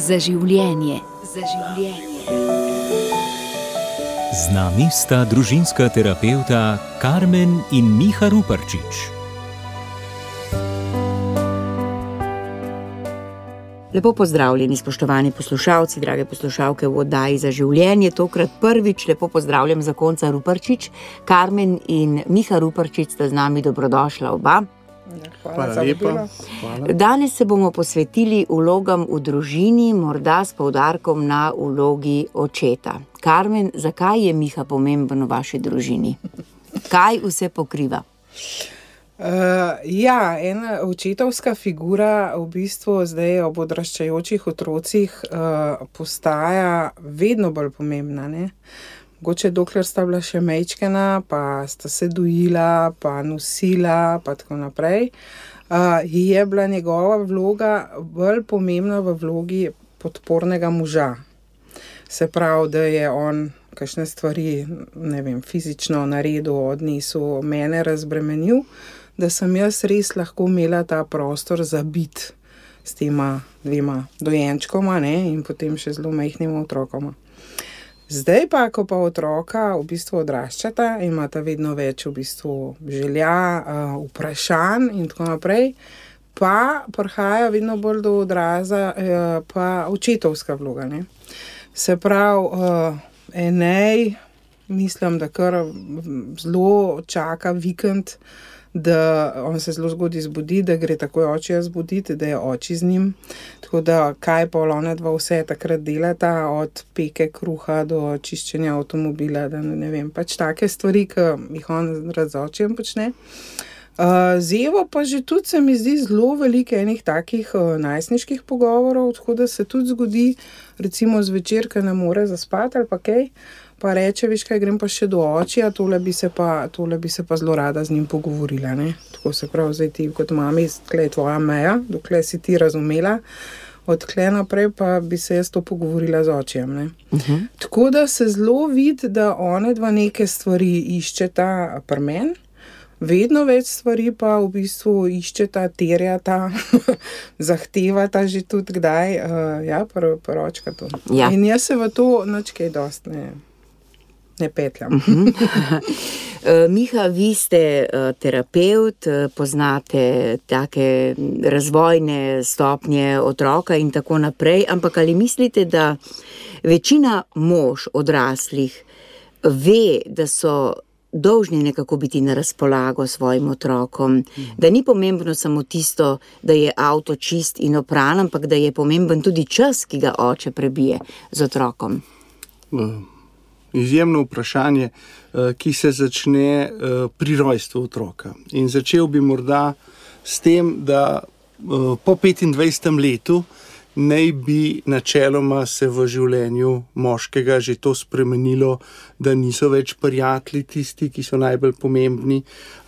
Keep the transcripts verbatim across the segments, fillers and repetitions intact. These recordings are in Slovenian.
Za življenje. Za življenje. Z nami sta družinska terapevta Karmen in Miha Ruparčič. Lepo pozdravljeni, spoštovani poslušalci, drage poslušalke v oddaji Za življenje. Tokrat prvič lepo pozdravljam zakonca Ruparčič. Karmen in Miha Ruparčič sta z nami, dobrodošla oba. Hvala, Hvala lepa. Hvala. Danes se bomo posvetili vlogam v družini, morda s poudarkom na vlogi očeta. Karmen, zakaj je Miha pomemben v vaši družini? Kaj vse pokriva? Uh, ja, ena očetovska figura v bistvu zdaj ob odraščajočih otrocih uh, postaja vedno bolj pomembna, ne? Mogoče dokler sta bila še majčkena, pa sta se dojila, pa nosila, pa tako naprej, uh, je bila njegova vloga bolj pomembna v vlogi podpornega moža. Se pravi, da je on kakšne stvari, ne vem, fizično naredil, odnesel, mene razbremenil, da sem jaz res lahko imela ta prostor za biti s tema dvema dojenčkoma, ne, in potem še zelo majhnima otrokoma. Zdaj pa, ko pa otroka v bistvu odraščata, imata vedno več v bistvu želja, vprašanj in tako naprej, pa prihaja vedno bolj do odraza pa očetovska vloga, ne. Se pravi, Enej, mislim, da kar zelo čaka vikend, da on se zelo zgodaj zbudi, da gre takoj očija zbuditi, da je oči z njim. Tako da kaj pol ona dva vse takrat delata, od peke kruha do čiščenja avtomobila, da ne vem, pač take stvari, ki jih on rad z očijem počne. Uh, z Evo pa že tudi se mi zdi zelo veliko enih takih uh, najstniških pogovorov, tako da se tudi zgodi, recimo zvečer, ko ne more zaspati ali pa kaj, pa reče, veš kaj, grem pa še do očija, tole bi se pa, tole bi se pa zelo rada z njim pogovorila, ne. Tako se pravi, zdaj ti kot mami, tle je tvoja meja, dokler si ti razumela, odkle naprej pa bi se jaz to pogovorila z očijem, ne. Uh-huh. Tako da se zelo vidi, da one dva neke stvari iščeta pri meni, vedno več stvari pa v bistvu iščeta, terjata, zahtevata že tudi kdaj, uh, ja, pr, proročka to. Ja. In jaz se v to nič kaj dost ne, ne petljam. Miha, vi ste terapeut, poznate take razvojne stopnje otroka in tako naprej, ampak ali mislite, da večina mož odraslih ve, da so dolžni nekako biti na razpolago svojim otrokom, da ni pomembno samo tisto, da je avto čist in opran, ampak da je pomemben tudi čas, ki ga oče prebije z otrokom? Izjemno vprašanje, ki se začne pri rojstvu otroka. In začel bi morda s tem, da po petindvajsetem letu naj bi načeloma se v življenju moškega že to spremenilo, da niso več prijatelji tisti, ki so najbolj pomembni,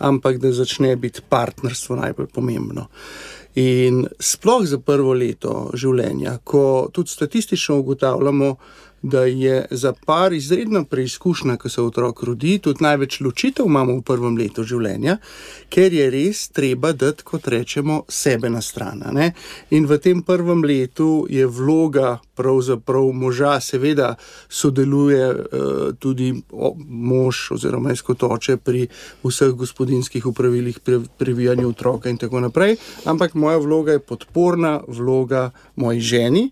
ampak da začne biti partnerstvo najbolj pomembno. In sploh za prvo leto življenja, ko tudi statistično ugotavljamo, da je za par izredna preizkušnja, ko se otrok rodi, tudi največ ločitev imamo v prvem letu življenja, ker je res treba dati, kot rečemo, sebe na stran, ne? In v tem prvem letu je vloga pravzaprav moža, seveda sodeluje uh, tudi mož oziroma jaz kot oče pri vseh gospodinjskih opravilih, pri previjanju otroka in tako naprej, ampak moja vloga je podporna vloga moji ženi,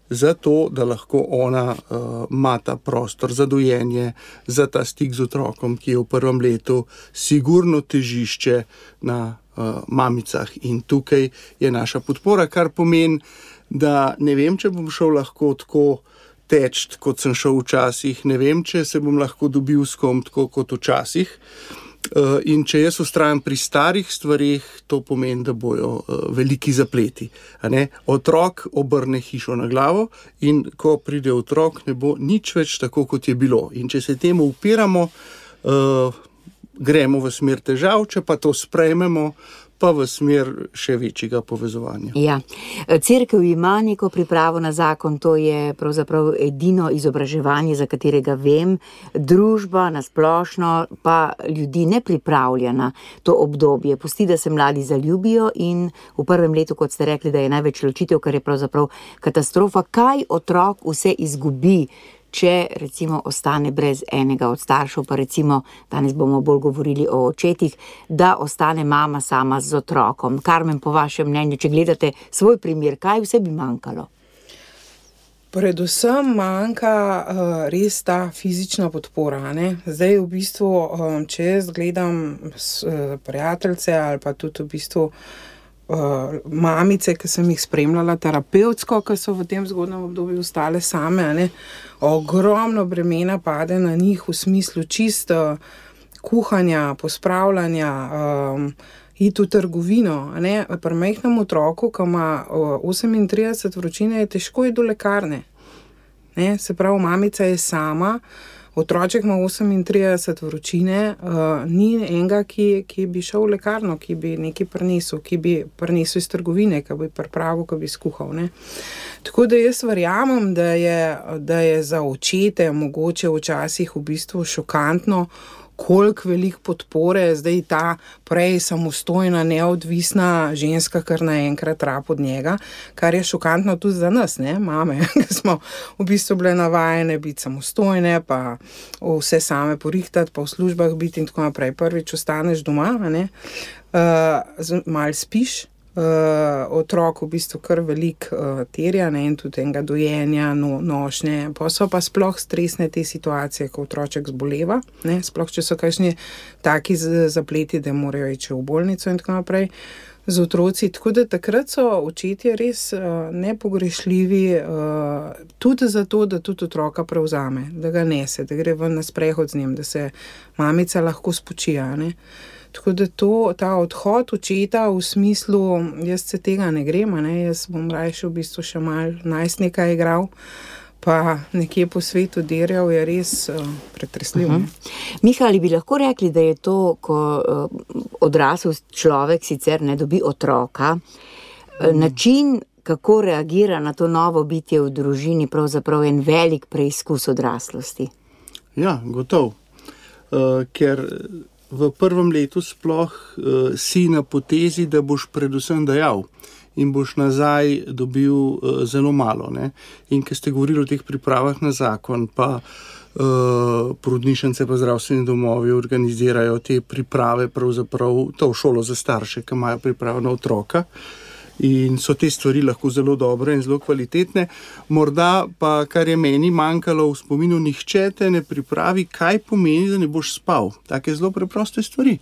zato, da lahko ona uh, ima ta prostor za dojenje, za ta stik z otrokom, ki je v prvem letu sigurno težišče na uh, mamicah. In tukaj je naša podpora, kar pomeni, da ne vem, če bom šel lahko tako teč, kot sem šel včasih, ne vem, če se bom lahko dobil s kom tako kot včasih. Uh, in če jaz vztrajam pri starih stvarih, to pomeni, da bojo uh, veliki zapleti. A ne? Otrok obrne hišo na glavo in ko pride otrok, ne bo nič več tako, kot je bilo. In če se temu upiramo, uh, gremo v smer težav, če pa to sprejmemo, pa v smer še večjega povezovanja. Ja. Cerkev ima neko pripravo na zakon, to je pravzaprav edino izobraževanje, za katerega vem, družba nasplošno pa ljudi ne pripravlja na to obdobje. Pusti, da se mladi zaljubijo in v prvem letu, kot ste rekli, da je največ ločitev, kar je pravzaprav katastrofa. Kaj otrok vse izgubi, če recimo ostane brez enega od staršev, pa recimo, danes bomo bolj govorili o očetih, da ostane mama sama z otrokom. Karmen, po vašem mnenju, če gledate svoj primer, kaj vse bi manjkalo? Predvsem manjka uh, res ta fizična podpora. Ne? Zdaj v bistvu, um, če jaz gledam s, uh, prijateljce ali pa tudi v bistvu Uh, mamice, ki sem jih spremljala terapevtsko, ki so v tem zgodnem obdobju ostale same, ne, ogromno bremena pade na njih v smislu čisto kuhanja, pospravljanja, um, iti v trgovino. Ne. Pri majhnem otroku, ki ima uh, osemintrideset vročine, je težko iti do lekarne. Ne. Se pravi, mamica je sama, otroček ima osemintrideset vročine, uh, ni enega, ki, ki bi šel v lekarno, ki bi nekaj prinesel, ki bi prinesel iz trgovine, ki bi pripravil, ki bi skuhal. Ne. Tako da jaz verjamem, da je, da je za očete mogoče včasih v bistvu šokantno, koliko veliko podpore zdaj ta prej samostojna, neodvisna ženska, kar naenkrat rab od njega, kar je šokantno tudi za nas, ne, mame, ki smo v bistvu bile navajene biti samostojne, pa vse same porihtati, pa v službah biti in tako naprej. Prvič ostaneš doma, ne, uh, malo spiš, Uh, otrok v bistvu kar velik uh, terja, ne, in tudi enega dojenja, no, nošnje, pa so pa sploh stresne te situacije, ko otroček zboleva, ne, sploh če so kakšni taki zapleti, da morajo iti v bolnico in tako naprej z otroci, tako da takrat so očetje res uh, nepogrešljivi, uh, tudi zato, da tudi otroka prevzame, da ga nese, da gre ven na sprehod z njim, da se mamica lahko spočija, ne. Tako da to, ta odhod očeta v smislu, jaz se tega ne grem, ne? Jaz bom rajši v bistvu še malo najstnika igral, pa nekje po svetu derjal, je res uh, pretresljiv. Uh-huh. Miha, ali bi lahko rekli, da je to, ko uh, odrasel človek sicer ne dobi otroka, uh, način, kako reagira na to novo bitje v družini, pravzaprav en velik preizkus odraslosti? Ja, gotov. Uh, ker v prvem letu sploh uh, si na potezi, da boš predvsem dajal in boš nazaj dobil uh, zelo malo. Ne? In ko ste govorili o teh pripravah na zakon, pa uh, porodnišnice pa zdravstveni domovi organizirajo te priprave, pravzaprav to v šolo za starše, ki imajo pripravo na otroka. In so te stvari lahko zelo dobre in zelo kvalitetne. Morda pa, kar je meni manjkalo v spominu, nihče te ne pripravi, kaj pomeni, da ne boš spal. Take zelo preproste stvari.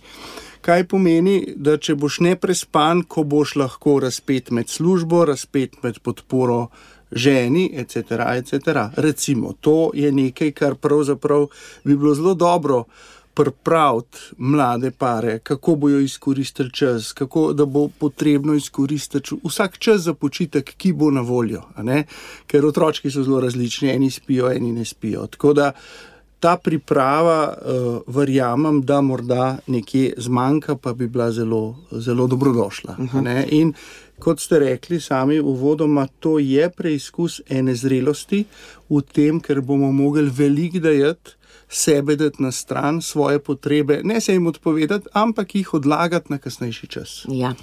Kaj pomeni, da če boš neprespan, ko boš lahko razpet med službo, razpet med podporo ženi, et cetera, et cetera. Recimo, to je nekaj, kar pravzaprav bi bilo zelo dobro pripraviti mlade pare, kako bojo izkoristili čas, kako, da bo potrebno izkoristiti vsak čas za počitek, ki bo na voljo, a ne? Ker otročki so zelo različni, eni spijo, eni ne spijo. Tako da ta priprava, uh, verjamem, da morda nekje zmanjka, pa bi bila zelo, zelo dobrodošla. Uh-huh. A ne? In kot ste rekli sami uvodoma, to je preizkus ene zrelosti v tem, ker bomo mogli veliko dajati, sebe dati na stran, svoje potrebe, ne se jim odpovedati, ampak jih odlagati na kasnejši čas. Ja.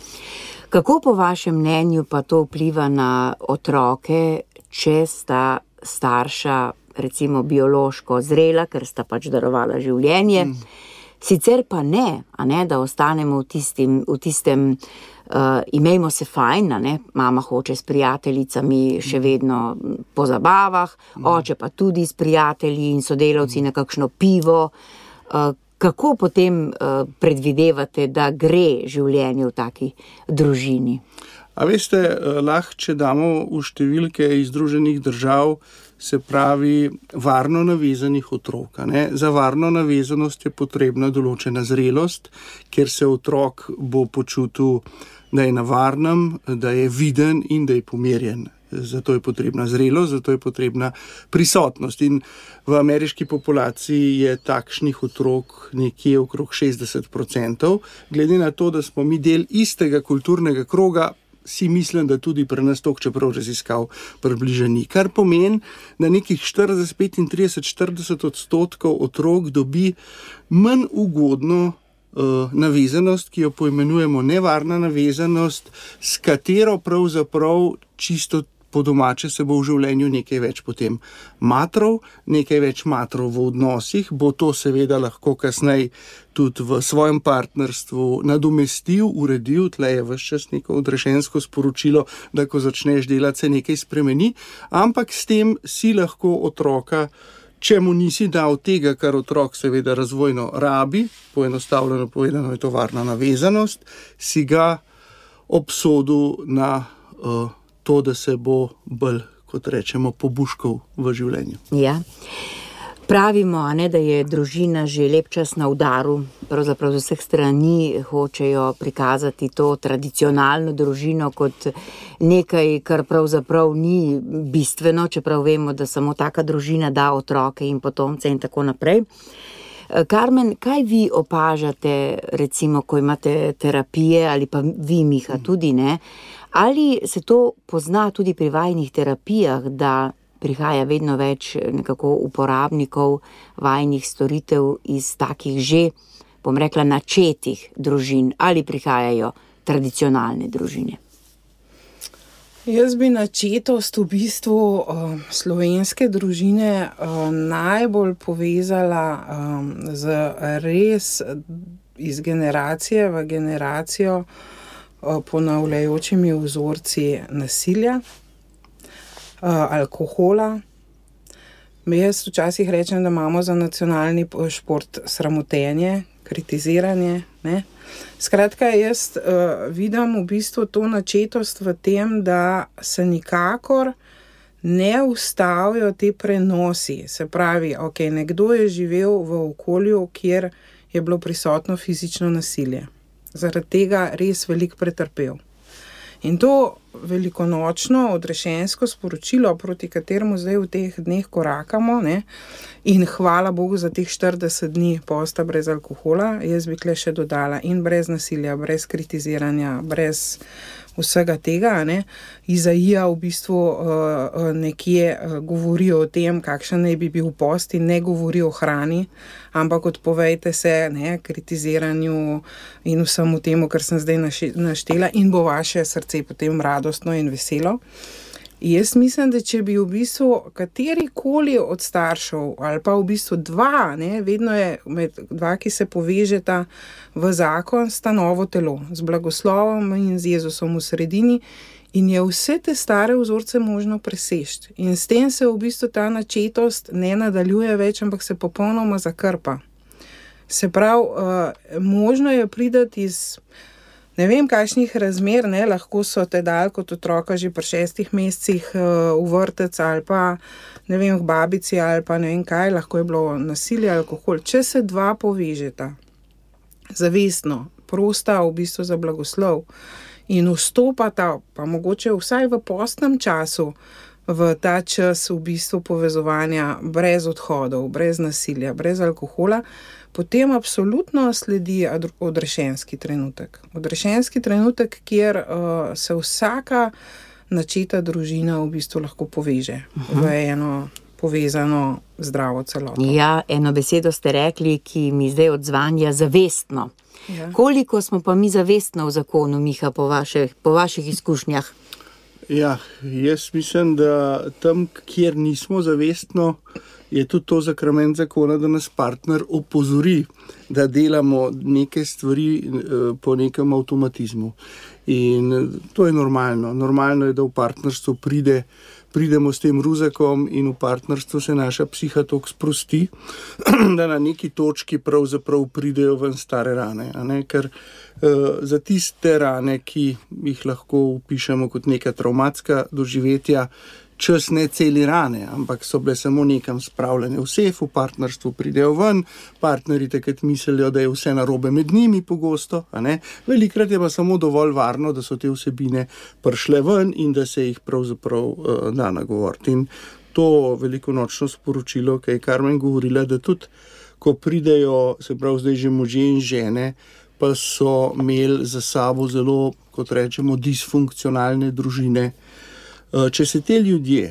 Kako po vašem mnenju pa to vpliva na otroke, če sta starša recimo biološko zrela, ker sta pač darovala življenje, mm. sicer pa ne, a ne, da ostanemo v tistim, v tistem uh, imejmo se fajn, a ne, mama hoče s prijateljicami še vedno po zabavah, mm. oče pa tudi s prijatelji in sodelavci mm. na kakšno pivo. Uh, kako potem uh, predvidevate, da gre življenje v taki družini? A veste, lahko, če damo v številke iz Združenih držav, se pravi varno navezanih otrok. Ne? Za varno navezanost je potrebna določena zrelost, kjer se otrok bo počutil, da je na varnem, da je viden in da je pomirjen. zato je potrebna zrelost, zato je potrebna prisotnost. In v ameriški populaciji je takšnih otrok nekje okrog šestdeset procentov. Glede na to, da smo mi del istega kulturnega kroga, si mislim, da tudi pri nas toliko, čeprav raziskav približeni. Kar pomeni, da nekih štirideset, petintrideset, štirideset odstotkov otrok dobi manj ugodno uh, navezanost, ki jo poimenujemo nevarna navezanost, s katero pravzaprav čisto po domače se bo v življenju nekaj več potem matrov, nekaj več matrov v odnosih, bo to seveda lahko kasneje tudi v svojem partnerstvu nadomestil, uredil, tle je ves čas neko odrešensko sporočilo, da ko začneš delati, se nekaj spremeni, ampak s tem si lahko otroka, če mu nisi dal tega, kar otrok seveda razvojno rabi, poenostavljeno povedano je to varna navezanost, si ga obsodil na uh, to, da se bo bolj, kot rečemo, pobuškal v življenju. Ja. Pravimo, a ne, da je družina že lep čas na udaru, pravzaprav z vseh strani hočejo prikazati to tradicionalno družino kot nekaj, kar pravzaprav ni bistveno, čeprav vemo, da samo taka družina da otroke in potomce in tako naprej. Karmen, kaj vi opažate, recimo, ko imate terapije, ali pa vi, Miha, tudi ne, ali se to pozna tudi pri vajnih terapijah, da prihaja vedno več nekako uporabnikov vajnih storitev iz takih že, bom rekla, načetih družin, ali prihajajo tradicionalne družine? Jaz bi načetost v bistvu uh, slovenske družine uh, najbolj povezala um, z res iz generacije v generacijo uh, ponavljajočimi vzorci nasilja, uh, alkohola. Jaz včasih rečem, da imamo za nacionalni šport sramotenje, kritiziranje, ne. Skratka, jaz uh, vidim v bistvu to načetost v tem, da se nikakor ne ustavijo te prenosi. Se pravi, ok, nekdo je živel v okolju, kjer je bilo prisotno fizično nasilje. Zaradi tega res veliko pretrpel. In to velikonočno odrešensko sporočilo, proti kateremu zdaj v teh dneh korakamo, ne, in hvala Bogu za teh štirideset dni posta brez alkohola, jaz bi tle še dodala in brez nasilja, brez kritiziranja, brez vsega tega, ne. Izaija v bistvu uh, nekje uh, govori o tem, kakšen naj bi bil post, in ne govori o hrani, ampak odpovejte se, ne, kritiziranju in vsemu temu, kar sem zdaj naštela, in bo vaše srce potem radostno in veselo. Jaz mislim, da če bi v bistvu katerikoli od staršev, ali pa v bistvu dva, ne, vedno je med dva, ki se povežeta v zakon, sta novo telo, z blagoslovom in z Jezusom v sredini, in je vse te stare vzorce možno preseči. In s tem se v bistvu ta načetost ne nadaljuje več, ampak se popolnoma zakrpa. Se pravi, uh, možno je priti iz ne vem, kakšnih razmer, ne, lahko so te dal kot otroka že pri šestih mesecih uh, v vrtec ali pa, ne vem, k babici ali pa ne vem kaj, lahko je bilo nasilje, alkohol. Če se dva povežeta, zavestno, prosta v bistvu za blagoslov in vstopata, pa mogoče vsaj v postnem času, v ta čas v bistvu povezovanja brez odhodov, brez nasilja, brez alkohola, potem absolutno sledi odrešenski trenutek. Odrešenski trenutek, kjer uh, se vsaka načeta družina v bistvu lahko poveže uh-huh. v eno povezano zdravo celoto. Ja, eno besedo ste rekli, ki mi zdaj odzvanja, zavestno. Ja. Koliko smo pa mi zavestno v zakonu, Miha, po vaših, po vaših izkušnjah? Ja, jaz mislim, da tam, kjer nismo zavestno, je tudi to zakrament zakona, da nas partner opozori, da delamo neke stvari po nekem avtomatizmu. In to je normalno. Normalno je, da v partnerstvu pride, pridemo s tem ruzakom in v partnerstvu se naša psiha toliko sprosti, da na neki točki pravzaprav pridejo ven stare rane. A ne? Ker uh, za tiste rane, ki jih lahko upišemo kot neka travmatska doživetja, čas ne celi rane, ampak so bile samo nekam spravljene v sef, v partnerstvu pridejo ven, partnerji takrat mislijo, da je vse narobe med njimi pogosto, a ne. Velikrat je pa samo dovolj varno, da so te vsebine prišle ven in da se jih pravzaprav uh, da nagovoriti. In to velikonočno sporočilo, ki je Karmen govorila, da tudi, ko pridejo, se pravi zdaj že možje in žene, pa so imeli za sabo zelo, kot rečemo, disfunkcionalne družine. Če se te ljudje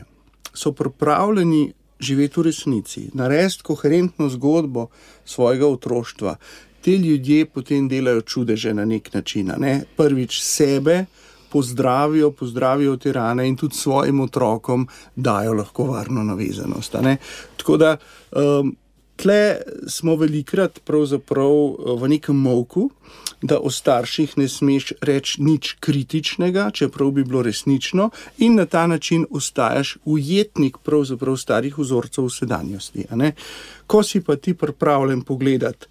so pripravljeni živeti v resnici, narediti koherentno zgodbo svojega otroštva, te ljudje potem delajo čudeže na nek način. Ne? Prvič sebe pozdravijo, pozdravijo te rane in tudi svojim otrokom dajo lahko varno navezanost. Ne? Tako da um, tle smo velikrat pravzaprav v nekem molku, da o starših ne smeš reči nič kritičnega, čeprav bi bilo resnično, in na ta način ostajaš ujetnik pravzaprav starih vzorcev v sedanjosti. A ne? Ko si pa ti pripravljen pogledati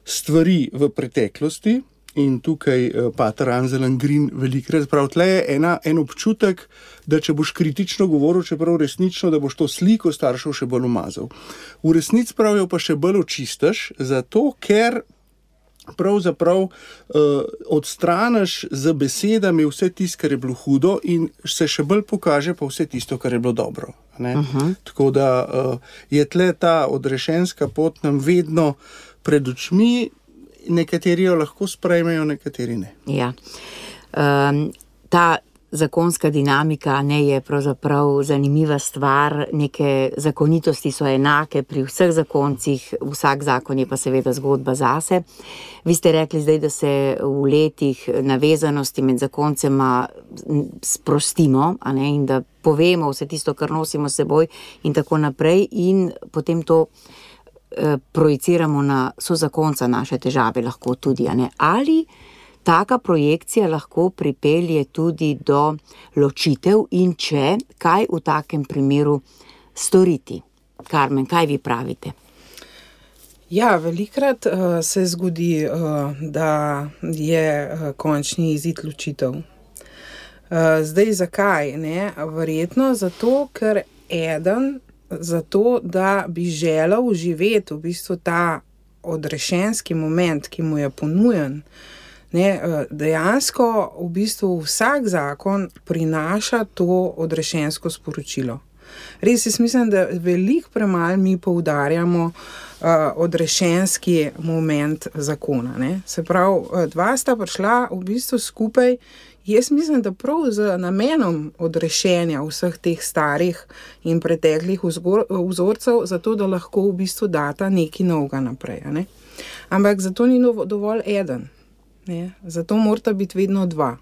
stvari v preteklosti, in tukaj pater Anselm Green velikrat pravi, tle je ena, en občutek, da če boš kritično govoril, čeprav resnično, da boš to sliko staršev še bolj umazal. V resnici pravijo pa še bolj očistaš, zato ker pravzaprav uh, odstraniš z besedami vse tisto, kar je bilo hudo in se še bolj pokaže pa vse tisto, kar je bilo dobro. Ne? Uh-huh. Tako da uh, je tle ta odrešenska pot nam vedno pred očmi, nekateri jo lahko sprejmejo, nekateri ne. Ja. Um, ta zakonska dinamika ne je pravzaprav zanimiva stvar, neke zakonitosti so enake pri vseh zakoncih, vsak zakon je pa seveda zgodba zase. Vi ste rekli zdaj, da se v letih navezanosti med zakoncema sprostimo, a ne, in da povemo vse tisto, kar nosimo s seboj in tako naprej, in potem to projiciramo na sozakonca naše težave lahko tudi, a ne? Ali taka projekcija lahko pripelje tudi do ločitev in če, kaj v takem primeru storiti? Karmen, kaj vi pravite? Ja, velikrat uh, se zgodi, uh, da je uh, končni izid ločitev. Uh, zdaj, zakaj? Ne? Verjetno zato, ker eden zato, da bi želel živeti v bistvu ta odrešenski moment, ki mu je ponujen. Ne, dejansko v bistvu vsak zakon prinaša to odrešensko sporočilo. Res, jaz mislim, da veliko premalo mi poudarjamo uh, odrešenski moment zakona. Ne. Se pravi, dva sta prišla v bistvu skupaj. Jaz mislim, da prav z namenom odrešenja vseh teh starih in preteklih vzorcev, zato da lahko v bistvu data nekaj novega naprej. Ne? Ampak zato ni dovolj eden. Ne? Zato morata biti vedno dva.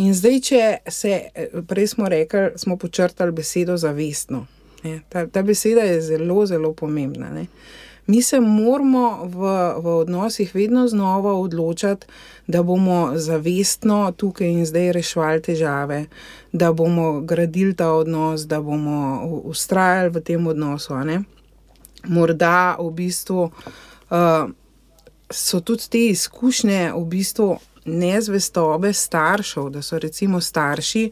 In zdaj, če se, prej smo rekli, smo počrtali besedo zavestno. Ne? Ta, ta beseda je zelo, zelo pomembna. Ne? Mi se moramo v, v odnosih vedno znova odločati, da bomo zavestno tukaj in zdaj reševali težave, da bomo gradili ta odnos, da bomo vztrajali v tem odnosu. Ne? Morda v bistvu uh, so tudi te izkušnje v bistvu nezvestobe staršev, da so recimo starši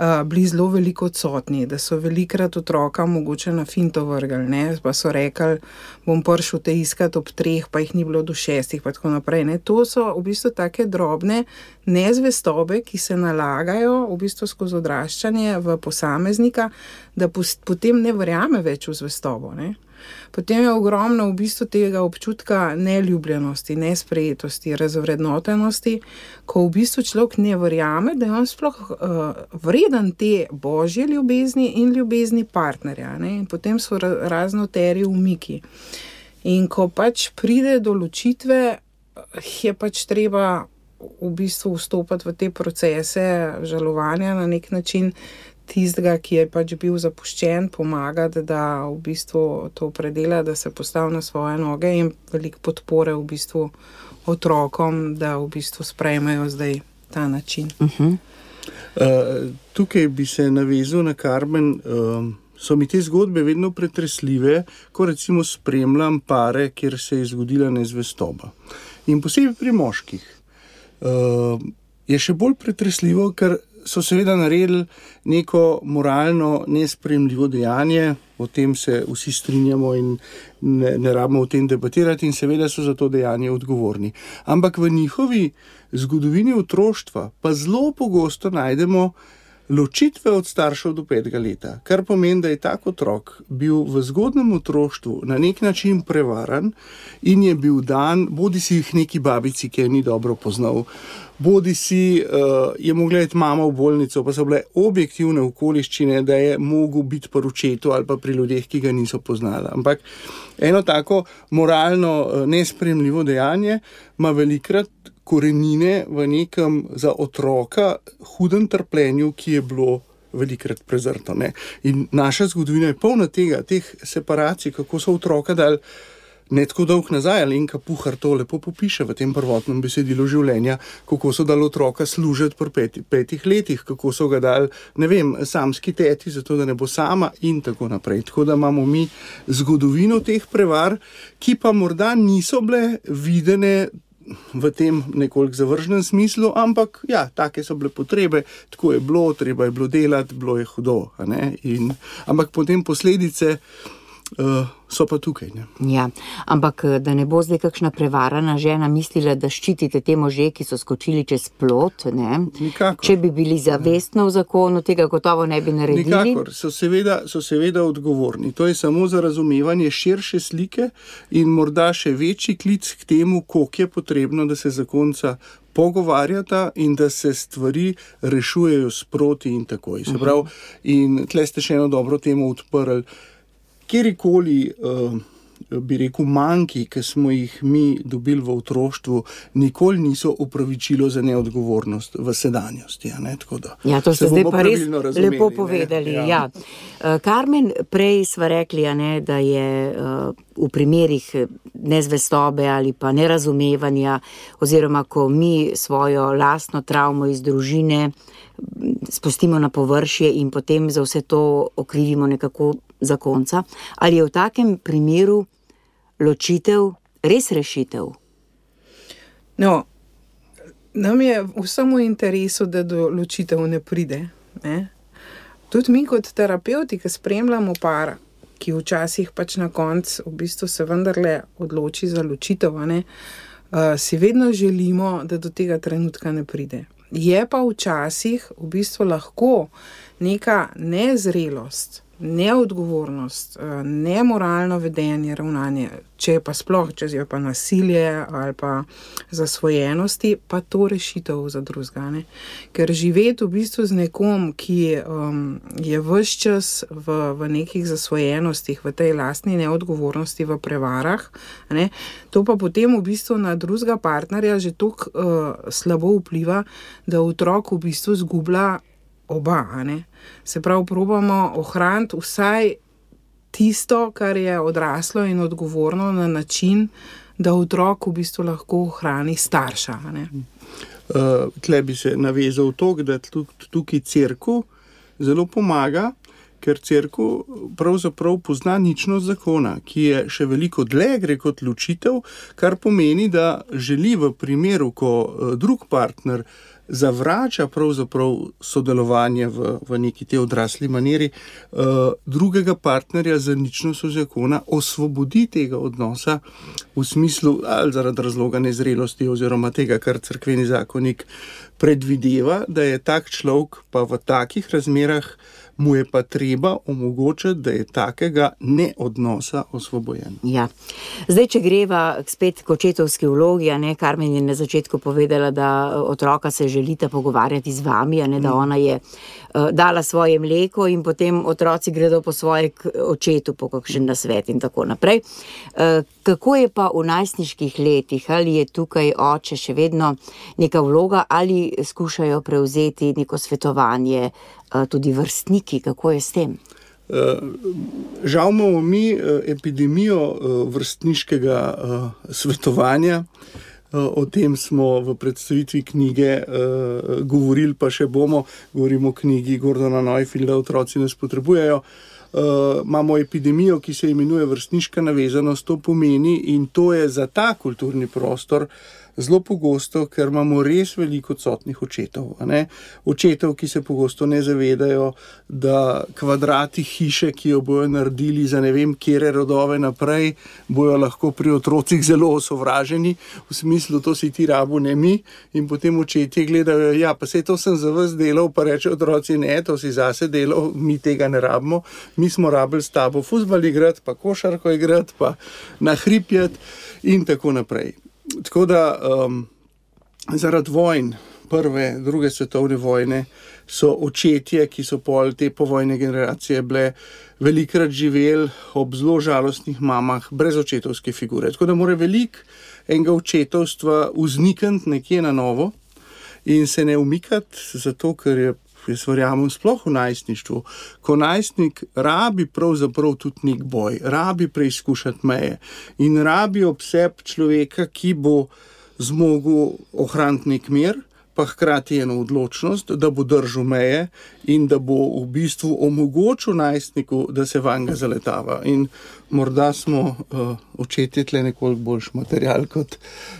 Uh, bili zelo veliko odsotni, da so velikrat otroka mogoče na finto vrgli, ne, pa so rekli, bom prišel te iskat ob treh, pa jih ni bilo do šestih, pa tako naprej, ne. To so v bistvu take drobne nezvestobe, ki se nalagajo v bistvu skozi odraščanje v posameznika, da potem ne verjame več v zvestobo, ne. Potem je ogromno v bistvu tega občutka neljubljenosti, nesprejetosti, razvrednotenosti, ko v bistvu človek ne verjame, da je on sploh uh, vreden te božje ljubezni in ljubezni partnerja. Ne? In potem so raznoteri umiki. In ko pač pride do ločitve, je pač treba v bistvu vstopati v te procese žalovanja na nek način, tistega, ki je pač bil zapuščen, pomagati, da v bistvu to predela, da se postavi na svoje noge, in veliko podpore v bistvu otrokom, da v bistvu sprejmejo zdaj ta način. Uh-huh. Uh, tukaj bi se navezal na Karmen. Uh, so mi te zgodbe vedno pretresljive, ko recimo spremljam pare, kjer se je zgodila nezvestoba. In posebej pri moških uh, je še bolj pretresljivo, ker so seveda naredili neko moralno nesprejemljivo dejanje, o tem se vsi strinjamo in ne, ne rabimo o tem debatirati in seveda so za to dejanje odgovorni. Ampak v njihovi zgodovini otroštva pa zelo pogosto najdemo ločitve od staršev do petega leta, kar pomeni, da je tak otrok bil v zgodnem otroštvu na nek način prevaran in je bil dan, bodi si jih neki babici, ki je ni dobro poznal, bodi si uh, je mogla iti mama v bolnico, pa so bile objektivne okoliščine, da je mogel biti pri očetu ali pa pri ljudeh, ki ga niso poznali. Ampak eno tako moralno uh, nesprejemljivo dejanje ima velikrat korenine v nekem za otroka hudem trpljenju, ki je bilo velikrat prezrto. Ne? In naša zgodovina je polna tega, teh separacij, kako so otroka dali ne tako dolg nazaj. Alenka Puhar to lepo popiše v tem prvotnem besedilu življenja, kako so dali otroka služiti pri peti, petih letih, kako so ga dali, ne vem, samski teti, zato da ne bo sama in tako naprej. Tako da imamo mi zgodovino teh prevar, ki pa morda niso bile videne v tem nekoliko zavržnem smislu, ampak ja, take so bile potrebe, tako je bilo, treba je bilo delati, bilo je hudo, a ne? In, ampak potem posledice uh, so pa tukaj. Ne? Ja, ampak da ne bo zdaj kakšna prevarana žena mislila, da ščitite te može, ki so skočili čez plot, ne? Nikakor. Če bi bili zavestno v zakonu, tega gotovo ne bi naredili. Nikakor, so seveda, so seveda odgovorni. To je samo za razumevanje širše slike in morda še večji klic k temu, koliko je potrebno, da se zakonca pogovarjata in da se stvari rešujejo sproti in takoj. Se pravi, in tle ste še eno dobro temo odprli. Kjerikoli, uh, bi rekel, manjki, ki smo jih mi dobili v otroštvu, nikoli niso opravičilo za neodgovornost v sedanjosti. Ne? Tako da ja, to ste zdaj pa res razumeli, lepo povedali. Ja. Ja. Uh, Karmen, prej sva rekli, a ne, da je uh, v primerih nezvestobe ali pa nerazumevanja, oziroma ko mi svojo lastno travmo iz družine spustimo na površje in potem za vse to okrivimo nekako zakonca. Ali je v takem primeru ločitev res rešitev? No, nam je vsem v interesu, da do ločitev ne pride. Ne? Tudi mi kot terapeuti, ki spremljamo par, ki včasih pač na koncu v bistvu se vendarle odloči za ločitev, ne? Uh, si vedno želimo, da do tega trenutka ne pride. Je pa včasih v bistvu lahko neka nezrelost, neodgovornost, nemoralno vedenje, ravnanje, če je pa sploh, če je pa nasilje ali pa zasvojenosti, pa to rešitev za drugega. Ker živeti v bistvu z nekom, ki um, je ves čas v, v nekih zasvojenostih, v tej lastni neodgovornosti, v prevarah, ne, to pa potem v bistvu na drugega partnerja že toliko uh, slabo vpliva, da otrok v bistvu zgublja oba, ne. Se pravi, probamo ohraniti vsaj tisto, kar je odraslo in odgovorno na način, da otrok v bistvu lahko ohrani starša. Ne? Uh, tle bi se navezal to, da tukaj cerkev zelo pomaga, ker cerkev pravzaprav pozna ničnost zakona, ki je še veliko dlje gre kot ločitev, kar pomeni, da želi v primeru, ko uh, drug partner zavrača pravzaprav sodelovanje v, v neki te odrasli maniri, uh, drugega partnerja za ničnostjo zakona osvobodi tega odnosa v smislu ali zaradi razloga nezrelosti oziroma tega, kar cerkveni zakonik predvideva, da je tak človek pa v takih razmerah mu je pa treba omogočiti, da je takega neodnosa osvobojen. Ja. Zdaj, če greva spet k očetovski vlogi, a ne, Karmen je na začetku povedala, da otroka se želita pogovarjati z vami, a ne, da ona je uh, dala svoje mleko in potem otroci gredo po svoje k očetu, po kakšen nasvet in tako naprej. Uh, kako je pa v najstniških letih? Ali je tukaj oče še vedno neka vloga ali skušajo prevzeti neko svetovanje, tudi vrstniki, kako je s tem? Žal imamo mi epidemijo vrstniškega svetovanja. O tem smo v predstavitvi knjige govorili, pa še bomo, govorimo o knjigi Gordona Neufielda, Otroci nas potrebujejo. Uh, imamo epidemijo, ki se imenuje vrstniška navezanost, to pomeni, in to je za ta kulturni prostor zelo pogosto, ker imamo res veliko odsotnih očetov. A ne? Očetov, ki se pogosto ne zavedajo, da kvadrati hiše, ki jo bojo naredili za ne vem kere rodove naprej, bojo lahko pri otrocih zelo osovraženi, v smislu, to si ti rabu, ne mi, in potem očetje gledajo, ja, pa sej to sem za vas delal, pa reče otroci, ne, to si zase delal, mi tega ne rabimo, mi smo rabili s tabo fuzbal igrati, pa košarko igrati, pa nahripjati in tako naprej. Tako da um, zaradi vojn, prve, druge svetovne vojne, so očetje, ki so pol te povojne generacije bile velikrat živeli ob zelo žalostnih mamah, brez očetovske figure. Tako da mora veliko enega očetovstva vznikniti nekje na novo in se ne umikati, zato ker je, jaz verjamem, sploh v najstništvu, ko najstnik rabi pravzaprav tudi nek boj, rabi preizkušati meje in rabi ob sebi človeka, ki bo zmogel ohraniti nek mir, pa hkrati eno odločnost, da bo držal meje in da bo v bistvu omogočil najstniku, da se vanga zaletava. In morda smo uh, očetje tle nekoliko boljši material kot,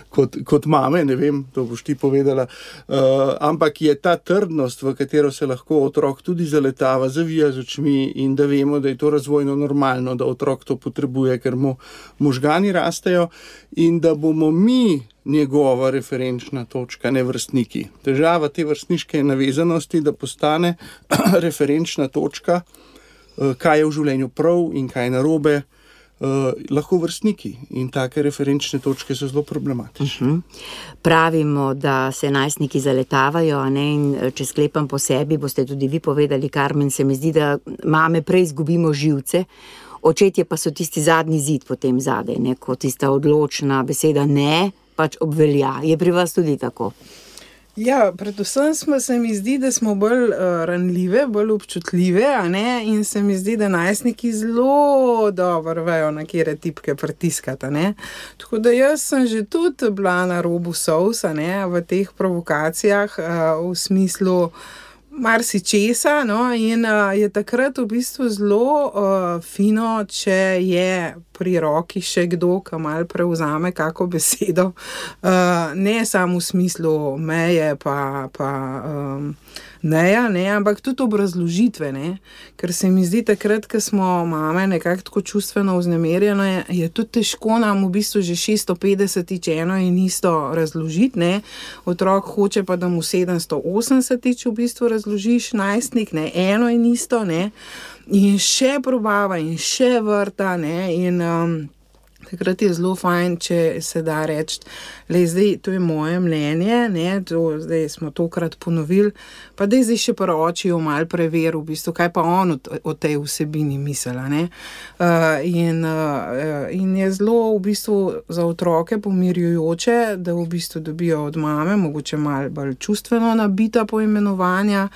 kot, kot mame, ne vem, to boš ti povedala, uh, ampak je ta trdnost, v katero se lahko otrok tudi zaletava, zavija z očmi in da vemo, da je to razvojno normalno, da otrok to potrebuje, ker mu možgani rastejo in da bomo mi njegova referenčna točka, ne vrstniki. Težava te vrstniške navezanosti, da postane referenčna točka, kaj je v življenju prav in kaj je narobe, lahko vrstniki. In take referenčne točke so zelo problematične. Uh-huh. Pravimo, da se najstniki zaletavajo, a ne, in če sklepam po sebi, boste tudi vi povedali, Karmen, se mi zdi, da mame prej izgubimo živce, očetje pa so tisti zadnji zid potem zadaj, ne, kot tista odločna beseda ne, pač obvelja. Je pri vas tudi tako? Ja, predvsem smo, se mi zdi, da smo bolj uh, ranljive, bolj občutljive, a ne, in se mi zdi, da najstniki zelo dobro vejo, na kere tipke pritiskati, a ne. Tako da jaz sem že tudi bila na robu solz, a ne, v teh provokacijah, uh, v smislu marsičesa, no, in uh, je takrat v bistvu zelo uh, fino, če je pri roki še kdo, ki malo prevzame kako besedo, uh, ne samo v smislu meje pa, pa um, neja, ne, ampak tudi obrazložitve, ne, ker se mi zdi takrat, ko smo mame nekako tako čustveno vznemirjene, je, je tudi težko nam v bistvu že šeststo petdesetič eno in isto razložiti, ne, otrok hoče pa, da mu sedemsto osemdesetič v bistvu razložiš, najstnik, ne, eno in isto, ne, in še probava in še vrta, ne, in um, takrat je zelo fajn, če se da reči, le zdaj, to je moje mnenje, ne, to, zdaj smo tokrat ponovili, pa da je zdaj še pri očiju malo preveril, v bistvu, kaj pa on o, o tej vsebini misela, ne. Uh, in, uh, in je zelo v bistvu za otroke pomirjujoče, da v bistvu dobijo od mame, mogoče malo bolj čustveno nabita poimenovanja,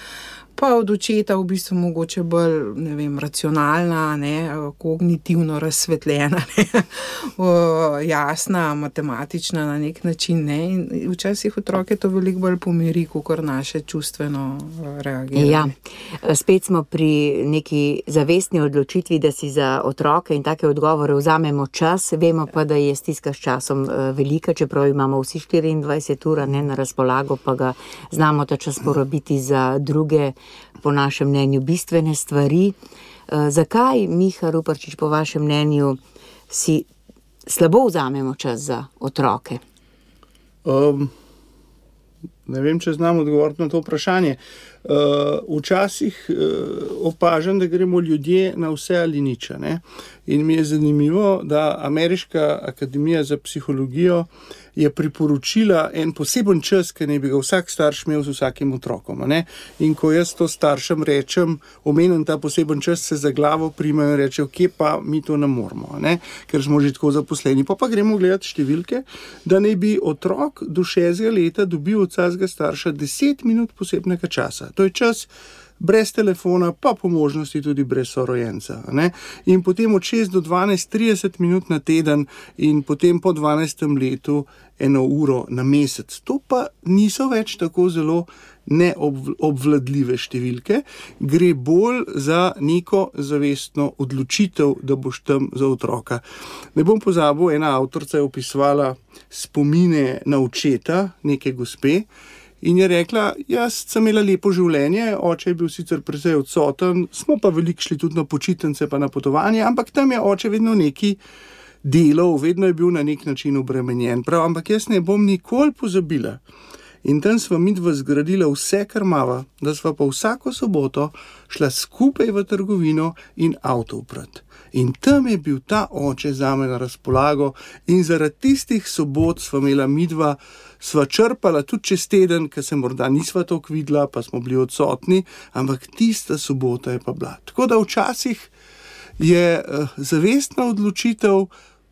pa od očeta v bistvu mogoče bolj, ne vem, racionalna, ne, kognitivno razsvetljena, ne, jasna, matematična na nek način, ne, in včasih otroke to veliko bolj pomiri, kakor naše čustveno reagiranje. Ja, spet smo pri neki zavestni odločitvi, da si za otroke in take odgovore vzamemo čas, vemo pa, da je stiska s časom velika, čeprav imamo vsi štiriindvajset ur, ne, na razpolago, pa ga znamo ta čas porabiti za druge, po našem mnenju, bistvene stvari. E, zakaj, Miha Ruparčič, po vašem mnenju, si slabo vzamemo čas za otroke? Um, ne vem, če znam odgovoriti na to vprašanje. Uh, včasih uh, opažam, da gremo ljudje na vse ali nič, ne? In mi je zanimivo, da Ameriška akademija za psihologijo je priporočila en poseben čas, ki naj bi ga vsak starš imel z vsakim otrokom. Ne? In ko jaz to staršem rečem, omenim ta poseben čas, se za glavo primajo in rečejo, kje pa mi to ne moramo, ne? Ker smo že tako zaposleni. Pa pa gremo gledati številke, da naj bi otrok do šestega leta dobil od vsakega starša deset minut posebnega časa. To je čas brez telefona, pa po možnosti tudi brez sorojenca. Ne? In potem od šest do dvanajst, trideset minut na teden in potem po dvanajstem letu eno uro na mesec. To pa niso več tako zelo neobvladljive številke, gre bolj za neko zavestno odločitev, da boš tam za otroka. Ne bom pozabil, ena avtorica je opisovala spomine na očeta neke gospe in je rekla, jaz sem imela lepo življenje, oče je bil sicer precej odsoten, smo pa veliko šli tudi na počitnice pa na potovanje, ampak tam je oče vedno neki delal, vedno je bil na nek način obremenjen. Prav, ampak jaz ne bom nikoli pozabila. In tam sva midva zgradila vse, kar mava, da sva pa vsako soboto šla skupaj v trgovino in avto uprat. In tam je bil ta oče zame na razpolago in zaradi tistih sobot sva imela midva, sva črpala tudi čez teden, ker se morda nisva toliko videla, pa smo bili odsotni, ampak tista sobota je pa bila. Tako da včasih je uh, zavestna odločitev,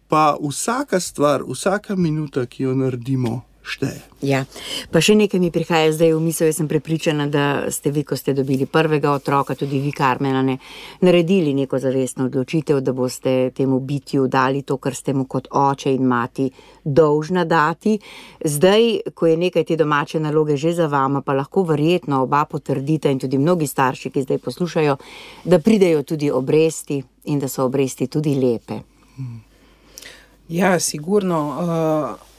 pa vsaka stvar, vsaka minuta, ki jo naredimo, šteje. Ja, pa še nekaj mi prihaja zdaj v misel, jaz sem prepričana, da ste vi, ko ste dobili prvega otroka, tudi vi, Karmena, ne, naredili neko zavestno odločitev, da boste temu bitju dali to, kar ste mu kot oče in mati dolžna dati. Zdaj, ko je nekaj te domače naloge že za vama, pa lahko verjetno oba potrdita in tudi mnogi starši, ki zdaj poslušajo, da pridejo tudi obresti in da so obresti tudi lepe. Ja, sigurno. Uh...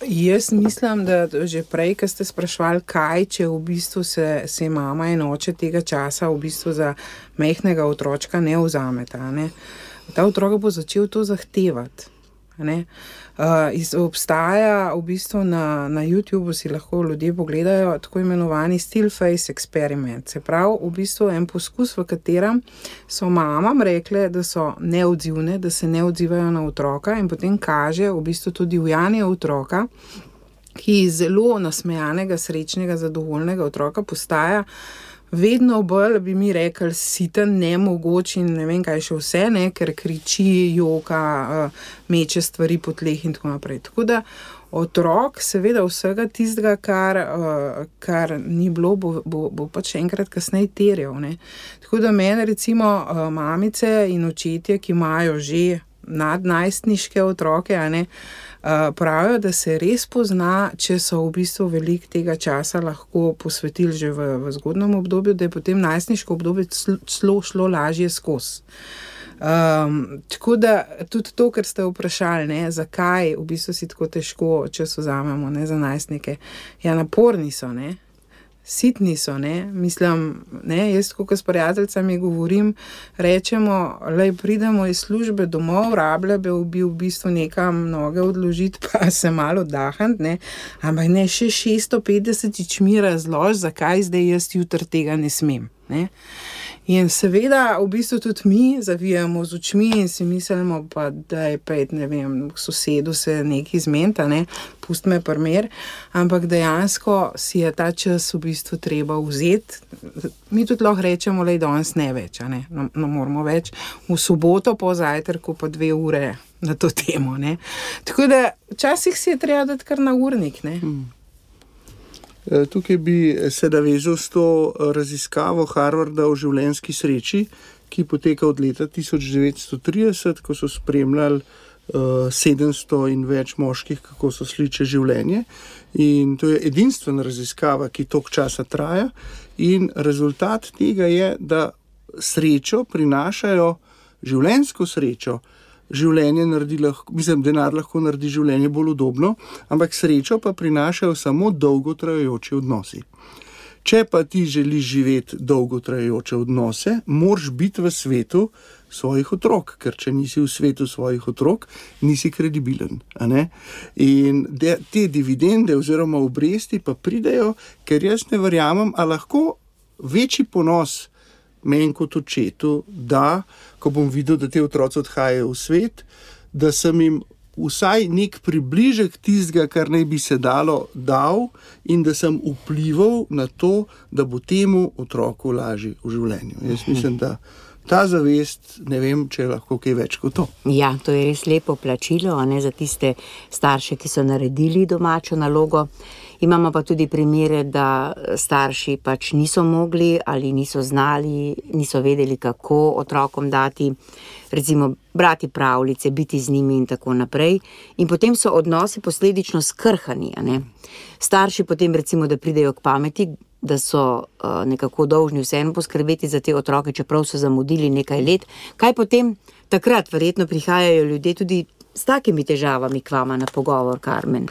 Jaz mislim, da že prej, ko ste spraševali, kaj, če v bistvu se, se mama in oče tega časa v bistvu za majhnega otročka ne vzameta. Ne? Ta otrok bo začel to zahtevati. Ne? Uh, iz, obstaja v bistvu na, na YouTubeu, si lahko ljudje pogledajo, tako imenovani still face experiment. Se pravi, v bistvu en poskus, v katerem so mamam rekle, da so neodzivne, da se ne odzivajo na otroka in potem kaže v bistvu tudi ujanje otroka, ki iz zelo nasmejanega, srečnega, zadovoljnega otroka postaja vedno bolj, bi mi rekli, siten, nemogoč in ne vem kaj še vse, ne, ker kriči, joka, meče stvari po tleh in tako naprej. Tako da otrok seveda vsega tistega, kar, kar ni bilo, bo, bo, bo pač enkrat kasneje terjal. Ne. Tako da mene recimo mamice in očetje, ki imajo že nadnajstniške otroke, a ne, pravijo, da se res pozna, če so v bistvu veliko tega časa lahko posvetili že v, v zgodnem obdobju, da je potem najstniško obdobje šlo, šlo lažje skozi. Um, tako da tudi to, kar ste vprašali, ne, zakaj v bistvu si tako težko, če so vzamemo, ne, za najstnike. Ja, naporni so, ne. Sitni so, ne, mislim, ne, jaz tako s prijateljicami govorim, rečemo, lej, pridemo iz službe domov, rablja bi v bistvu nekam noge odložiti, pa se malo oddahniti, ne, ampak ne, še šeststo petdeset mi razlož, zakaj zdaj jaz jutri tega ne smem, ne. In seveda v bistvu tudi mi zavijamo z očmi in si mislimo, pa da je pet, ne vem, sosedu se nekaj zmenta, ne, pust me primer, ampak dejansko si je ta čas v bistvu treba vzeti. Mi tudi lahko rečemo, lej, danes ne več, a ne, no, no moramo več, v soboto po zajtrku pa dve ure na to temo, ne. Tako da včasih si je treba dati kar na urnik, ne. Hmm. Tukaj bi se navezal s to raziskavo Harvarda o življenjski sreči, ki poteka od leta tisoč devetsto trideset, ko so spremljali uh, sedemsto in več moških, kako so šli čez življenje. In to je edinstvena raziskava, ki toliko časa traja. In rezultat tega je, da srečo prinašajo, življenjsko srečo, življenje naredi lahko, mislim, denar lahko naredi življenje bolj udobno, ampak srečo pa prinašajo samo dolgotrajajoči odnosi. Če pa ti želiš živeti dolgotrajajoče odnose, moraš biti v svetu svojih otrok, ker če nisi v svetu svojih otrok, nisi kredibilen. A ne? In de, te dividende oziroma obresti pa pridejo, ker jaz ne verjamem, a lahko večji ponos meni kot očetu, da, ko bom videl, da te otroci odhajajo v svet, da sem jim vsaj nek približek tistega, kar naj bi se dalo, dal in da sem vplival na to, da bo temu otroku lažje v življenju. Jaz mislim, da ta zavest, ne vem, če je lahko kaj več kot to. Ja, to je res lepo plačilo, a ne, za tiste starše, ki so naredili domačo nalogo. Imamo pa tudi primere, da starši pač niso mogli ali niso znali, niso vedeli, kako otrokom dati, recimo brati pravljice, biti z njimi in tako naprej. In potem so odnosi posledično skrhani, a ne. Starši potem recimo, da pridejo k pameti, da so uh, nekako dolžni vseeno poskrbeti za te otroke, čeprav so zamudili nekaj let. Kaj potem takrat verjetno prihajajo ljudje tudi s takimi težavami k vama na pogovor, Karmen?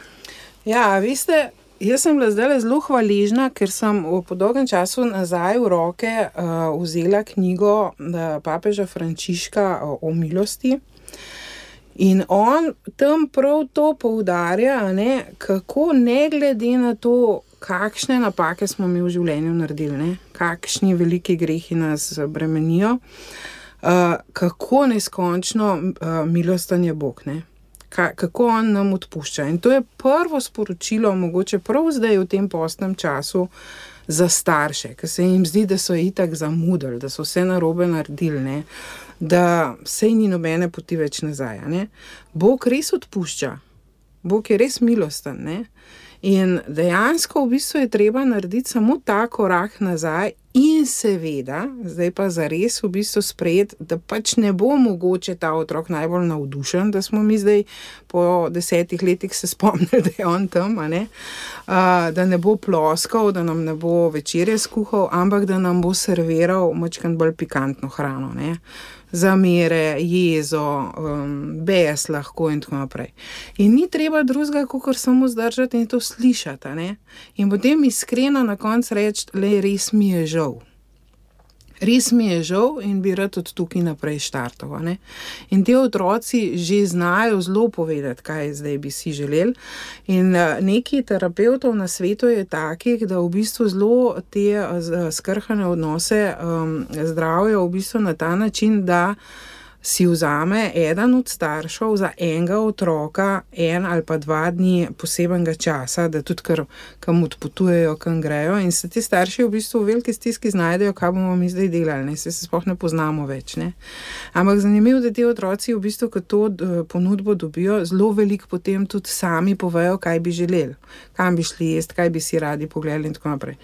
Ja, veste, jaz sem bila zdaj zelo hvaležna, ker sem po dolgem času nazaj v roke uh, vzela knjigo uh, papeža Frančiška o, o milosti. In on tam prav to poudarja, ne, kako ne glede na to, kakšne napake smo mi v življenju naredili, ne, kakšni veliki grehi nas bremenijo, uh, kako neskončno uh, milosten je Bog, ne. Ka, kako on nam odpušča. In to je prvo sporočilo, mogoče prav zdaj v tem postnem času, za starše, ker se jim zdi, da so itak zamudili, da so vse narobe naredili, ne, da sej ni nobene poti več nazaj. Ne. Bog res odpušča. Bog je res milosten. Ne. In dejansko v bistvu je treba narediti samo ta korak nazaj in seveda, zdaj pa zares v bistvu sprejeti, da pač ne bo mogoče ta otrok najbolj navdušen, da smo mi zdaj po desetih letih se spomnili, da je on tam, a ne? Uh, da ne bo ploskal, da nam ne bo večerje skuhal, ampak da nam bo serviral majčkeno bolj pikantno hrano, ne? Zamere, jezo, um, bes lahko in tako naprej. In ni treba drugega, kakor samo zdržati in to slišati, ne? In potem iskreno na koncu reči, le res mi je žal. Res mi je žal in bi rad od tukaj naprej štartal, ne? In te otroci že znajo zelo povedati, kaj zdaj bi si želeli. In neki terapevtov na svetu je takih, da v bistvu zelo te skrhane odnose um, zdravijo v bistvu na ta način, da si vzame eden od staršev za enega otroka en ali pa dva dni posebenega časa, da tudi kar, kam odpotujejo, kam grejo in se ti starši v bistvu v veliki stiski znajdejo, kaj bomo mi zdaj delali, ne, se se sploh ne poznamo več, ne. Ampak zanimivo, da ti otroci v bistvu, ko to ponudbo dobijo, zelo veliko potem tudi sami povejo, kaj bi želeli, kam bi šli jesti, kaj bi si radi pogledali in tako naprej.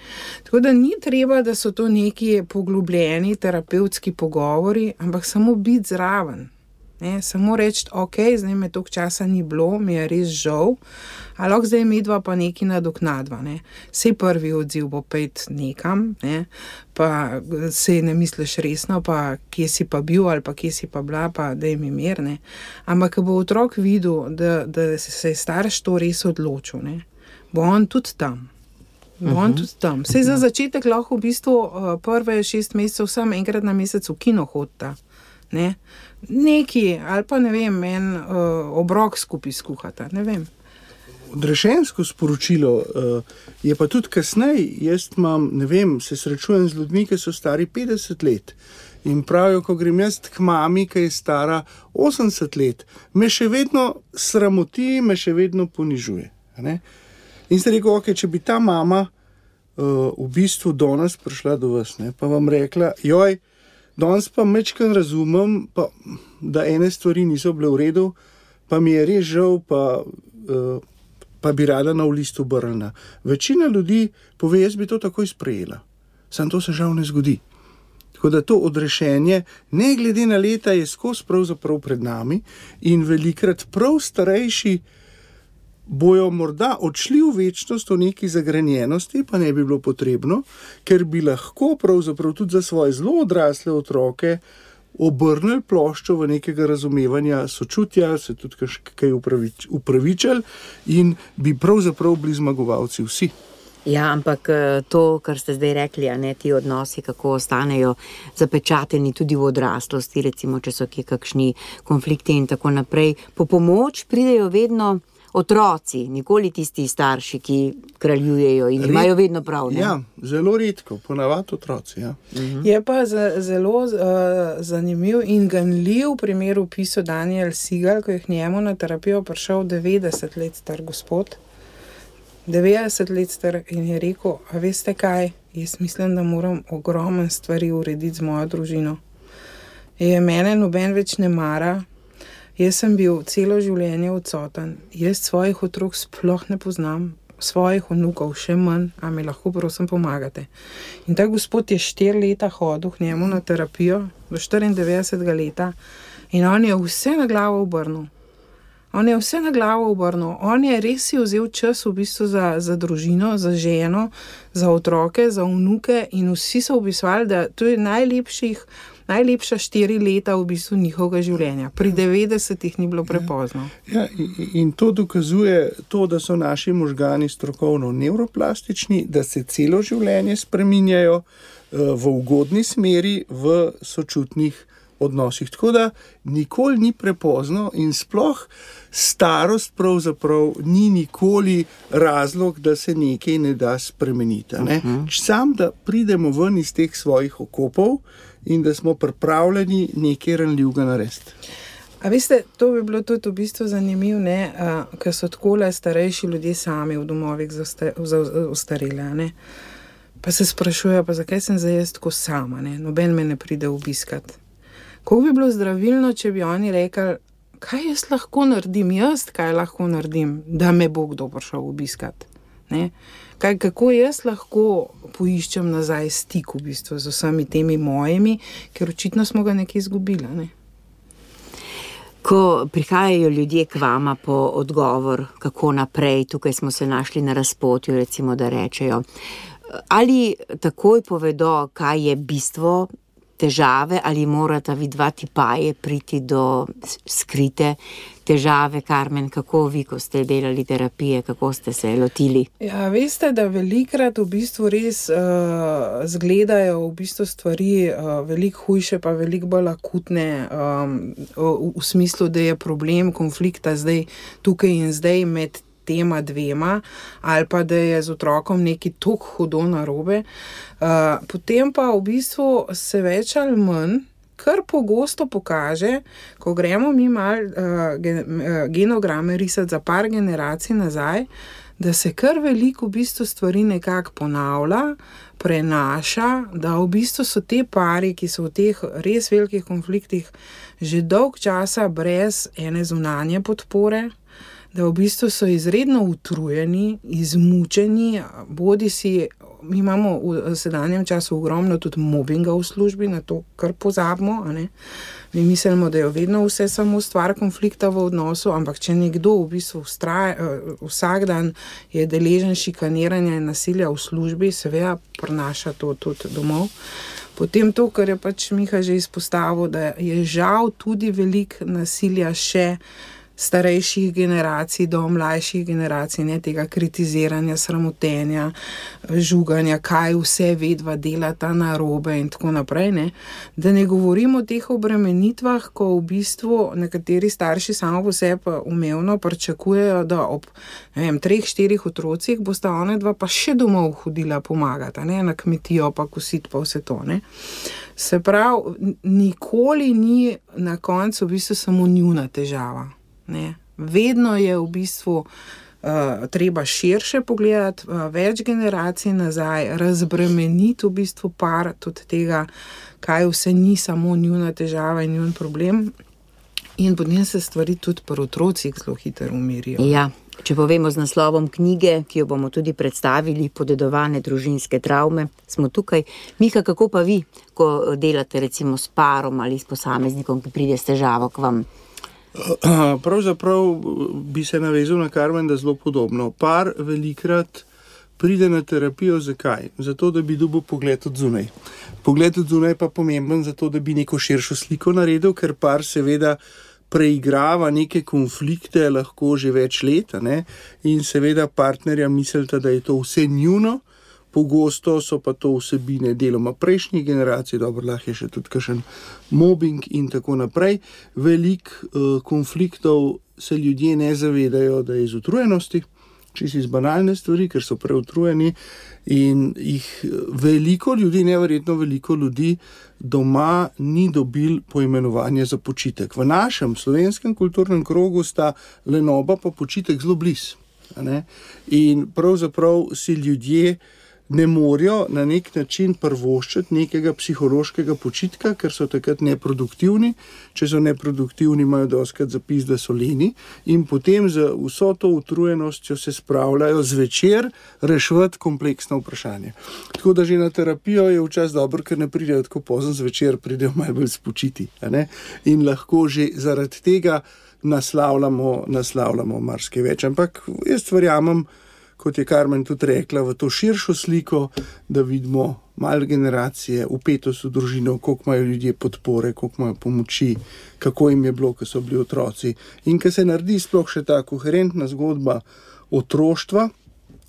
Tako da ni treba, da so to neki poglobljeni terapevtski pogovori, ampak samo biti zraven. Ne, samo reči, ok, zdaj me toliko časa ni bilo, mi je res žal, a lahko zdaj midva pa nekaj nadoknadva, ne. Sej prvi odziv bo pejt nekam, ne, pa sej ne misliš resno, pa kje si pa bil ali pa kje si pa bila, pa daj mi mir, ne. Ampak ko bo otrok videl, da, da se je starš to res odločil, ne, bo on tudi tam. Bo on tudi tam. Sej za začetek lahko v bistvu prve šest mesecev sam enkrat na mesec v kino hodita. Ne? Neki, ali pa ne vem, en uh, obrok skupaj skuhata, ne vem. Odrešensko sporočilo uh, je pa tudi kasneje. Jaz imam, ne vem, se srečujem z ljudmi, ki so stari petdeset let in pravijo, ko grem jaz k mami, ki je stara osemdeset let, me še vedno sramoti, me še vedno ponižuje. Ne? In se rekel, ok, če bi ta mama uh, v bistvu danes prišla do vas, ne, pa vam rekla, joj, danes pa mečkaj razumem, pa, da ene stvari niso bile v redu, pa mi je res žal, pa, uh, pa bi rada na list obrnila. Večina ljudi pove, jaz bi to takoj sprejela. Sam to se žal ne zgodi. Tako da to odrešenje, ne glede na leta, je skozi pravzaprav pred nami in velikrat prav starejši bojo morda odšli v večnost v neki zagrenjenosti, pa ne bi bilo potrebno, ker bi lahko pravzaprav tudi za svoje zelo odrasle otroke obrnili ploščo v nekega razumevanja, sočutja, se tudi kaj upravič, upravičili in bi pravzaprav bili zmagovalci vsi. Ja, ampak to, kar ste zdaj rekli, a ne, ti odnosi, kako ostanejo zapečateni tudi v odraslosti, recimo, če so kje kakšni konflikti in tako naprej, po pomoč pridejo vedno otroci, nikoli tisti starši, ki kraljujejo in Red, imajo vedno prav, ne? Ja, zelo redko, ponavadi otroci, ja. Uh-huh. Je pa z, zelo uh, zanimiv in ganljiv primer v pisu Daniel Siegel, ko je k njemu na terapijo prišel devetdeset let star gospod. devetdeset let star in je rekel, a veste kaj, jaz mislim, da moram ogromen stvari urediti z mojo družino. Je mene noben več ne mara, jaz sem bil celo življenje odsoten, jaz svojih otrok sploh ne poznam, svojih vnukov, še manj, a mi lahko prosim pomagate. In ta gospod je štiri leta hodil k njemu na terapijo, do štiriindevetdesetega leta, in on je vse na glavo obrnil. On je vse na glavo obrnil. On je res si vzel čas v bistvu za, za družino, za ženo, za otroke, za vnuke in vsi so opisovali, da to je najlepših, najlepša štiri leta v bistvu njihovega življenja. Pri devetdesetih ni bilo prepozno. Ja, in, in to dokazuje to, da so naši možgani strokovno nevroplastični, da se celo življenje spreminjajo v ugodni smeri, v sočutnih odnosih. Tako da nikoli ni prepozno in sploh starost pravzaprav ni nikoli razlog, da se nekaj ne da spremeniti. Ne? Uh-huh. Sam, da pridemo ven iz teh svojih okopov in da smo pripravljeni nekaj ranljivega narediti. A veste, to bi bilo tudi v bistvu zanimivo, ne, ker so takole starejši ljudje sami v domovih za ostarele, ne. Pa se sprašujejo, pa zakaj sem zdaj jaz tako sama, ne, noben me ne pride obiskat. Kako bi bilo zdravilno, če bi oni rekli, kaj jaz lahko naredim, jaz kaj lahko naredim, da me bo kdo prišel obiskat, ne. Kaj, kako jaz lahko poiščem nazaj stik v bistvu z vsemi temi mojimi, ker očitno smo ga nekaj izgubili, ne. Ko prihajajo ljudje k vama po odgovor, kako naprej, tukaj smo se našli na razpotju, recimo, da rečejo, ali takoj povedo, kaj je bistvo težave, ali morata vidva tipaje priti do skrite težave, Karmen, kako vi, ko ste delali terapije, kako ste se lotili? Ja, veste, da velikrat v bistvu res uh, zgledajo v bistvu stvari uh, veliko hujše, pa veliko bolj akutne, um, v, v smislu, da je problem konflikta zdaj tukaj in zdaj med tema dvema, ali pa da je z otrokom nekaj toliko hudo narobe. Uh, potem pa v bistvu se več ali manj kar pogosto pokaže, ko gremo mi mal uh, gen, uh, genograme risati za par generacij nazaj, da se kar veliko v bistvu stvari nekako ponavlja, prenaša, da v bistvu so te pari, ki so v teh res velikih konfliktih že dolg časa brez ene zunanje podpore, da v bistvu so izredno utrujeni, izmučeni, bodi si, mi imamo v sedanjem času ogromno tudi mobinga v službi, na to kar pozabimo, a ne. Mi mislimo, da je vedno vse samo stvar konflikta v odnosu, ampak če nekdo v bistvu vstraja, vsak dan je deležen šikaniranja in nasilja v službi, seveda prenaša to tudi domov. Potem to, kar je pač Miha že izpostavil, da je žal tudi veliko nasilja še starejših generacij do mlajših generacij, ne, tega kritiziranja, sramotenja, žuganja, kaj vse vedva delata narobe in tako naprej, ne. Da ne govorimo o teh obremenitvah, ko v bistvu nekateri starši samo po sebi umevno pričakujejo, da ob, ne vem, treh, štirih otrocih bosta ona dva pa še domov hodila pomagati, ne, na kmetijo pa kositi pa vse to, ne. Se pravi, nikoli ni na koncu v bistvu samo njuna težava. Ne. Vedno je v bistvu uh, treba širše pogledati, uh, več generacij nazaj, razbremeniti v bistvu par tudi tega, kaj vse ni samo njuna težava in njun problem, in potem se stvari tudi pri otrocih zelo hitro umirijo. Ja, če povemo z naslovom knjige, ki jo bomo tudi predstavili, Podedovane družinske travme, smo tukaj. Miha, kako pa vi, ko delate recimo s parom ali s posameznikom, ki pride s težavo k vam? Pravzaprav bi se navezal na Karmen, da zelo podobno. Par velikrat pride na terapijo, zakaj? Zato, da bi dobil pogled od zunaj. Pogled od zunaj pa pomemben zato, da bi neko širšo sliko naredil, ker par seveda preigrava neke konflikte lahko že več let, ne? In seveda partnerja mislita, da je to vse njuno. Pogosto so pa to vsebine deloma prejšnjih generacij, dobro, lahko je še tudi kakšen mobbing in tako naprej. Veliko uh, konfliktov se ljudje ne zavedajo, da je iz utrujenosti, čisto iz banalne stvari, ker so preutrujeni in jih veliko ljudi, neverjetno veliko ljudi doma ni dobil poimenovanje za počitek. V našem slovenskem kulturnem krogu sta lenoba pa počitek zelo blizu. In pravzaprav si ljudje ne morejo na nek način prvoščiti nekega psihološkega počitka, ker so takrat neproduktivni. Če so neproduktivni, imajo dostikrat zapis, da so leni in potem z vso to utrujenostjo se spravljajo zvečer reševati kompleksno vprašanje. Tako da že na terapijo je včasih dobro, ker ne pridejo tako pozno zvečer, pridejo malo bolj spočiti. A ne? In lahko že zaradi tega naslavljamo, naslavljamo marsikaj več. Ampak jaz verjamem, kot je Karmen tudi rekla, v to širšo sliko, da vidimo malo generacije, vpetost v družino, koliko imajo ljudje podpore, koliko imajo pomoči, kako jim je bilo, ko so bili otroci. In ko se naredi sploh še ta koherentna zgodba otroštva,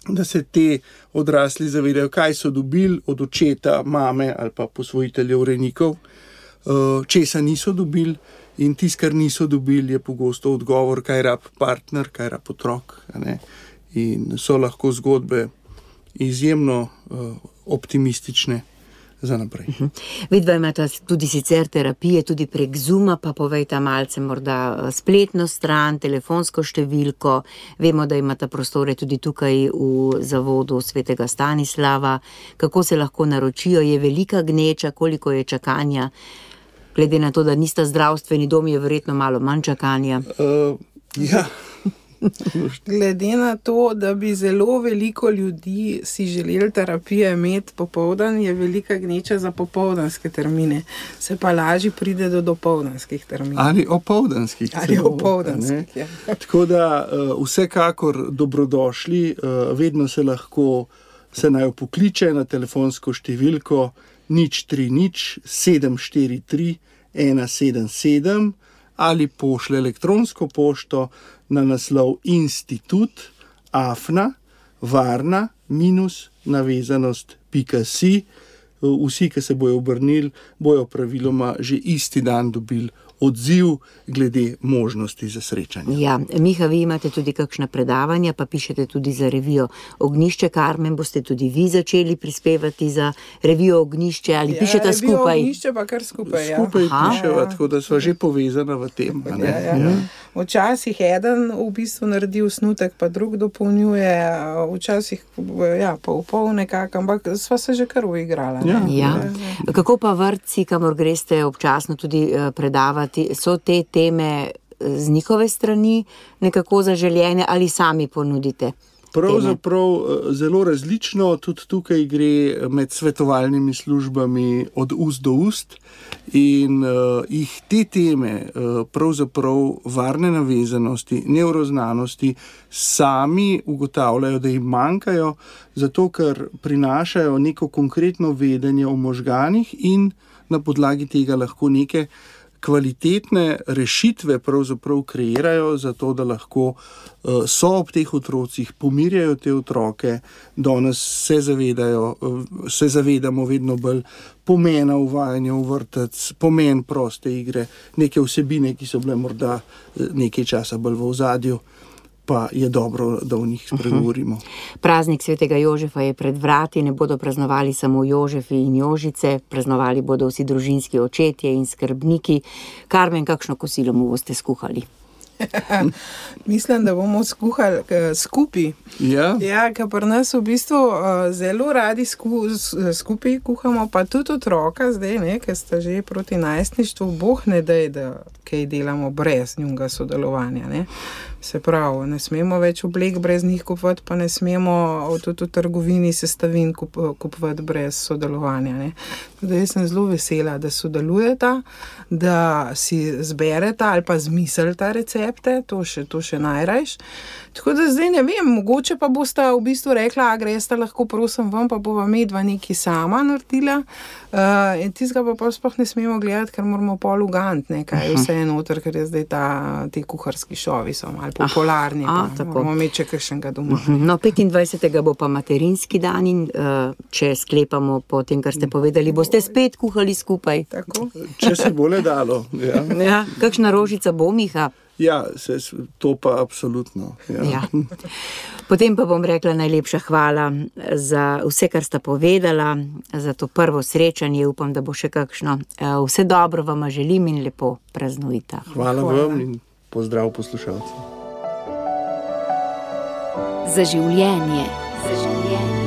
da se te odrasli zavedajo, kaj so dobili od očeta, mame ali pa posvojiteljev, rejnikov, česa niso dobili. In tisto, kar niso dobili, je pogosto odgovor, kaj rab partner, kaj rab otrok. Ne? In so lahko zgodbe izjemno uh, optimistične za naprej. Uh-huh. Vidva imata tudi sicer terapije, tudi prek Zooma, pa povejta malce morda spletno stran, telefonsko številko. Vemo, da imata prostore tudi tukaj v zavodu Svetega Stanislava. Kako se lahko naročijo? Je velika gneča? Koliko je čakanja? Glede na to, da nista zdravstveni dom, je verjetno malo manj čakanja. Uh, ja. Glede na to, da bi zelo veliko ljudi si želeli terapije imeti popoldan, je velika gneča za popoldanske termine. Se pa lažje pride do dopoldanskih terminov. Ali opoldanskih. Ali opoldanskih, ja. Tako da uh, vsekakor dobrodošli, uh, vedno se lahko se naj pokliče na telefonsko številko nič tri nič sedem štiri tri ena sedem sedem ali pošlje elektronsko pošto na naslov institut afna varna minus navezanost pika si. Vsi, ki se bojo obrnili, bojo praviloma že isti dan dobili odziv glede možnosti za srečanje. Ja, Miha, vi imate tudi kakšna predavanja, pa pišete tudi za revijo Ognjišče. Karmen, boste tudi vi začeli prispevati za revijo Ognjišče ali ja, pišete skupaj? Revijo Ognjišče pa kar skupaj, ja. Skupaj piševa, ja. Tako da sva že povezana v tem. A ne? Ja, ja. Ja. Včasih eden v bistvu naredi osnutek, pa drug dopolnjuje, včasih ja, pol pol nekako, ampak sva se že kar uigrala. Ja. Ja. Ja. Kako pa vrtci, kamor greste občasno tudi predavati, so te teme z njihove strani nekako zaželjene ali sami ponudite? Pravzaprav zelo različno, tudi tukaj gre med svetovalnimi službami od ust do ust in uh, jih te teme, uh, pravzaprav varne navezanosti, nevroznanosti, sami ugotavljajo, da jim manjkajo, zato ker prinašajo neko konkretno vedenje o možganih in na podlagi tega lahko neke kvalitetne rešitve pravzaprav kreirajo, zato da lahko uh, so ob teh otrocih, pomirjajo te otroke, danes se zavedajo, uh, se zavedamo vedno bolj pomena uvajanja v vrtec, pomen proste igre, neke vsebine, ki so bile morda nekaj časa bolj v ozadju, pa je dobro, da v njih spregovorimo. Uh-huh. Praznik Svetega Jožefa je pred vrati, ne bodo praznovali samo Jožefi in Jožice, praznovali bodo vsi družinski očetje in skrbniki. Karmen, kakšno kosilo mu boste skuhali? Mislim, da bomo skuhali skupaj. Ja, ja, ker pri nas v bistvu uh, zelo radi sku, skupaj kuhamo, pa tudi otroka zdaj, ne, ker sta že proti najstništvu, boh ne daj, da kaj delamo brez njunga sodelovanja. Ne. Se pravi, ne smemo več oblek brez njih kupovati, pa ne smemo tudi v trgovini sestavin kup, kupovati brez sodelovanja. Ne. Tudi jaz sem zelo vesela, da sodelujeta, da si zbereta ali pa zmislita recepte, to še, to še najrajš. Tako da zdaj ne vem, mogoče pa bosta v bistvu rekla, a gresta lahko prosim vam, pa bova medva nekaj sama naredila. Uh, in tistega pa pa sploh ne smemo gledati, ker moramo pol ugant, ne, kaj je vse noter, ker je zdaj ta, ti kuharski šovi so malo popularni, ah, pa moramo imeti še kakšnega doma. No, petindvajsetega bo pa materinski dan in uh, če sklepamo po tem, kar ste povedali, boste spet kuhali skupaj. Tako? Če se bo le dalo. Ja. Ja, kakšna rožica bo, Miha? Ja, se, to pa absolutno. Ja. Ja. Potem pa bom rekla najlepša hvala za vse, kar sta povedala, za to prvo srečanje, upam, da bo še kakšno. Vse dobro vama želim in lepo praznujte. Hvala, hvala vam in pozdrav poslušalcem. Za življenje. Za življenje.